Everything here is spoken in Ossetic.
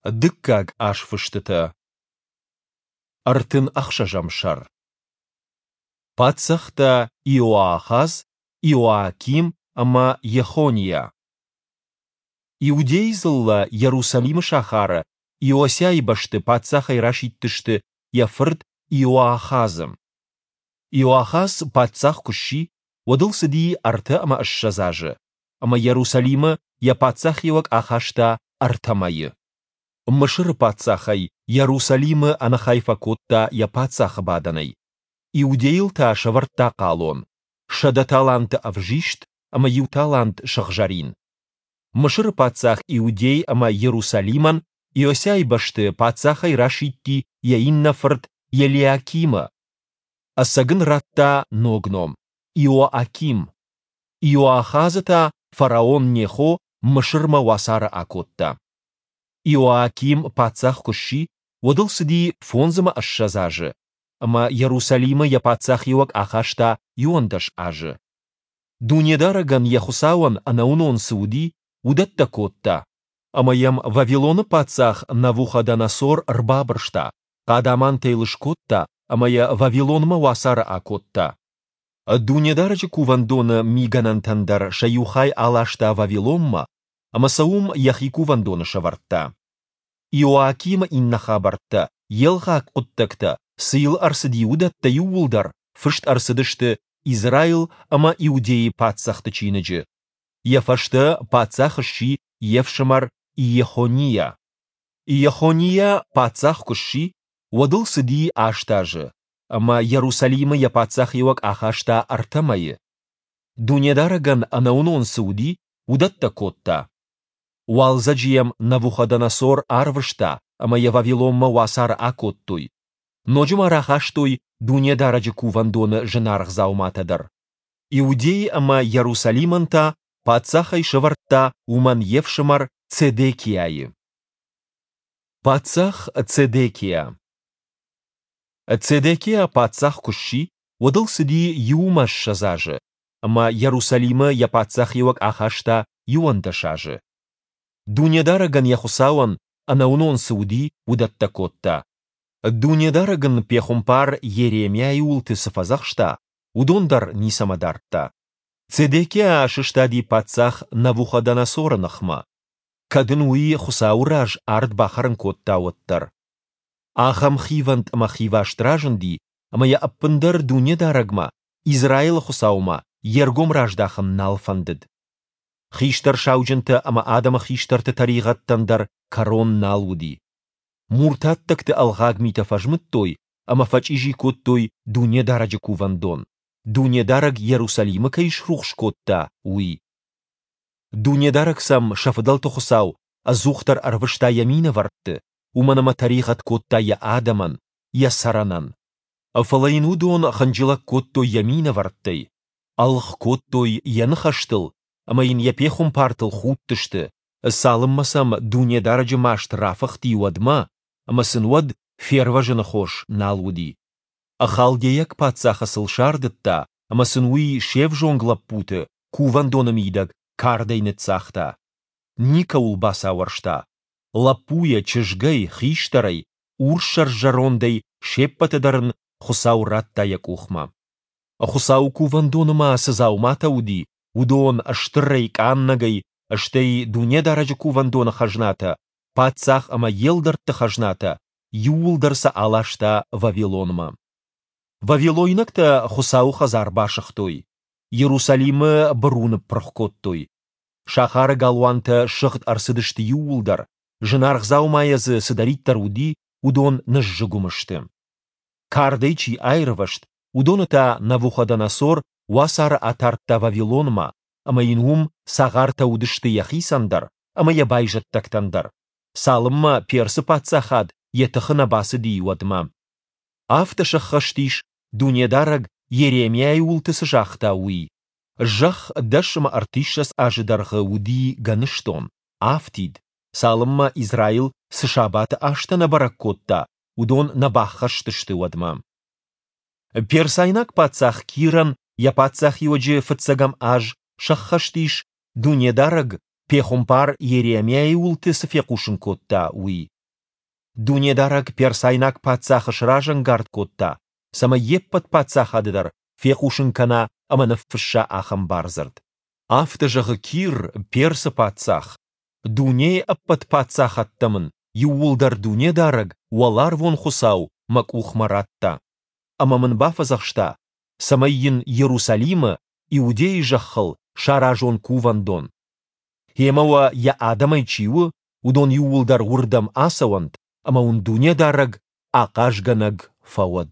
Дыккаг азфыстытӕ. 36-ӕм сӕр. Паддзӕхтӕ Иоахаз, Иоаким ӕмӕ Йехониа. Иудейы дзыллӕ Йерусалимы сахары Иосиайы бӕсты паддзахӕй расидтысты йӕ фырт Иоахазы. Иоахаз паддзах куы сси, уӕд ыл цыди 23 азы, ӕмӕ Йерусалимы йӕ паддзахиуӕг ахаста ӕртӕ мӕйы. Мысыры паддзах ӕй Йерусалимы ӕнӕхай фӕкодта йӕ паддзахы бадӕнӕй. Иудейыл та сӕвӕрдта хъалон, 100 таланты ӕвзист ӕмӕ иу талант сыгъзӕрин. Мысыры паддзах Иудей ӕмӕ Йерусалимӕн Иосиайы бӕсты паддзахӕй расидти йӕ иннӕ фырт Елиакимы. Ӕцӕг ын радта ног ном – Иоаким. Иоахазы та фараон Нехо Мысырмӕ уацары акодта. Иоаким паддзах куы сси, уӕд ыл цыди 25 азы, ӕмӕ Йерусалимы йӕ паддзахиуӕг ахаста 11 азы. Дунедарӕгӕн йӕ Хуыцауӕн ӕнӕуынон цы уыди, уыдӕттӕ кодта, ӕмӕ йӕм Вавилоны паддзах Навуходоносор ӕрбабырста, хъадамантӕ йыл скодта ӕмӕ йӕ Вавилонмӕ уацары акодта. Дунедарӕджы кувӕндоны мигӕнӕнтӕн дӕр сӕ иу хай аласта Вавилонмӕ ӕмӕ сӕ уым йӕхи кувӕндоны сӕвӕрдта. Иоакимы иннӕ хабӕрттӕ, йе лгъаг хъуыддӕгтӕ, цы йыл ӕрцыди, уыдӕттӕ иууылдӕр фыст ӕрцыдысты Израил ӕмӕ Иудейы паддзӕхты чиныджы. Йӕ фӕстӕ паддзах сси йе фсымӕр Иехониа. Иехониа паддзах куы сси, уӕд ыл цыди аст азы, ӕмӕ Йерусалимы йӕ паддзахиуӕг ахаста ӕртӕ мӕйы. Дунедарӕгӕн ӕнӕуынон цы уыди, уыдӕттӕ кодта. Уалдзӕджы йӕм Навуходоносор арвыста, ӕмӕ йӕ Вавилонмӕ уацары акодтой. Ноджы ма рахастой Дунедарӕджы кувӕндоны зынаргъ дзауматӕ дӕр. Иудей ӕмӕ Йерусалимӕн та паддзахӕй сӕвӕрдта уымӕн йе фсымӕр Цедекиайы. Паддзах Цедекиа. Цедекиа паддзах куы сси, уӕд ыл цыди 21 азы, ӕмӕ Йерусалимы йӕ паддзахиуӕг ахаста 11 азы. Дунедарӕгӕн йӕ Хуыцауӕн ӕнӕуынон цы уыди, уыдӕттӕ кодта. Дунедарӕг ын пехуымпар Йеремиайы уылты цы фӕдзӕхста, уыдон дӕр ницӕмӕ дардта. Цедекиа сыстади паддзах Навуходоносоры ныхмӕ, кӕд ын уый Хуыцауы раз ард бахӕрын кодта, уӕддӕр. Ахӕм хивӕнд ӕмӕ хиваст разынди, ӕмӕ йӕ ӕппындӕр Дунедарӕгмӕ, Израилы Хуыцаумӕ, йе ргом раздахын нал фӕндыд. Хистӕр сауджынтӕ ӕмӕ адӕмы хистӕрты тӕригъӕдтӕн дӕр кӕрон нал уыди. Муртаттӕгты ӕлгъаг митӕ фӕзмыдтой ӕмӕ фӕчъизи кодтой Дунедарӕджы кувӕндон, Дунедарӕг Йерусалимы кӕй срухс кодта, уый. Дунедарӕг сӕм сӕ фыдӕлты Хуыцау ӕдзухдӕр ӕрвыста йӕ минӕвӕртты, уымӕн ӕмӕ тӕригъӕд кодта йӕ адӕмӕн, йӕ цӕрӕнӕн. Фӕлӕ йын уыдон хынджылӕг кодтой йӕ минӕвӕрттӕй, ӕлгъ кодтой йӕ ныхӕстыл ӕмӕ йын йӕ пехуымпартыл худтысты, цалынмӕ сӕм Дунедарӕджы маст рафыхти, уӕдмӕ, ӕмӕ сын уӕд фервӕзыны хос нал уыди. Халдейаг паддзахы сыл сардыдта, ӕмӕ сын уый се взонг лӕппуты кувӕндоны мидӕг кардӕй ныццагъта. Никӕуыл бацауӕрста. Лӕппуйӕ, чызгӕй, хистӕрӕй, урссӕр зӕрондӕй се ппӕты дӕр ын Хуыцау радта йӕ къухмӕ. Хуыцауы кувӕндоны ма цы дзауматӕ уыди, уыдон стырӕй, къаннӕгӕй, стӕй Дунедарӕджы кувӕндоны хӕзнатӕ, паддзах ӕмӕ йе лдӕртты хӕзнатӕ, иууылдӕр сӕ аласта Вавилонмӕ. Вавилойнӕгтӕ Хуыцауы хӕдзар басыгътой, Иерусалимы быру ныппырх кодтой. Сахары галуантӕ сыгъд ӕрцыдысты иууылдӕр, зынаргъ дзаумайӕ дзы цыдӕриддӕр уыди, уыдон ныззыгуым сты. Кардӕй чи аирвӕзт, уыдоны та Навуходоносор уацары атардта Вавилонмӕ, ӕмӕ йын уым цагъартӕ уыдысты йӕхицӕн дӕр ӕмӕ йӕ байзӕддӕгтӕн дӕр, цалынмӕ Персы паддзахад йӕ тыхы нӕ бацыди, уӕдмӕ. Афтӕ сӕххӕст ис, Дунедарӕг Йеремиайы уылты цы загъта, уый. Зӕхх 30 азы дӕргъы уыди гӕныстон, афтид, цалынмӕ Израил цы сабаты азтӕ нӕ бӕрӕг кодта, уыдон нӕ баххӕст сты, уӕдмӕ. Персайнаг паддзах Кирӕн йӕ паддзахиуӕджы фыццӕгӕм аз сӕххӕст ис, Дунедарӕг пехуымпар Йеремиайы уылты цы фехъусын кодта, уый. Дунедарӕг персайнаг паддзахы сразӕнгард кодта, цӕмӕй йе ппӕт паддзахады дӕр фехъусын кӕна ӕмӕ ныффысса ахӕм бардзырд. Афтӕ зӕгъы Кир, Персы паддзах, Дунейы ӕппӕт паддзахӕдтӕ мын иууылдӕр Дунедарӕг, Уӕларвон Хуыцау, мӕ къухмӕ радта. Ӕмӕ мын бафӕдзӕхста, цӕмӕй йын Иерусалимы, Иудейы зӕххыл, саразон Кувӕндон. Гъемӕ уӕ йӕ адӕмӕй чи у, уыдон иууылдӕр уырдӕм ацӕуӕнт, ӕмӕ уын Дунедарӕг ахъазгӕнӕг фӕуӕд!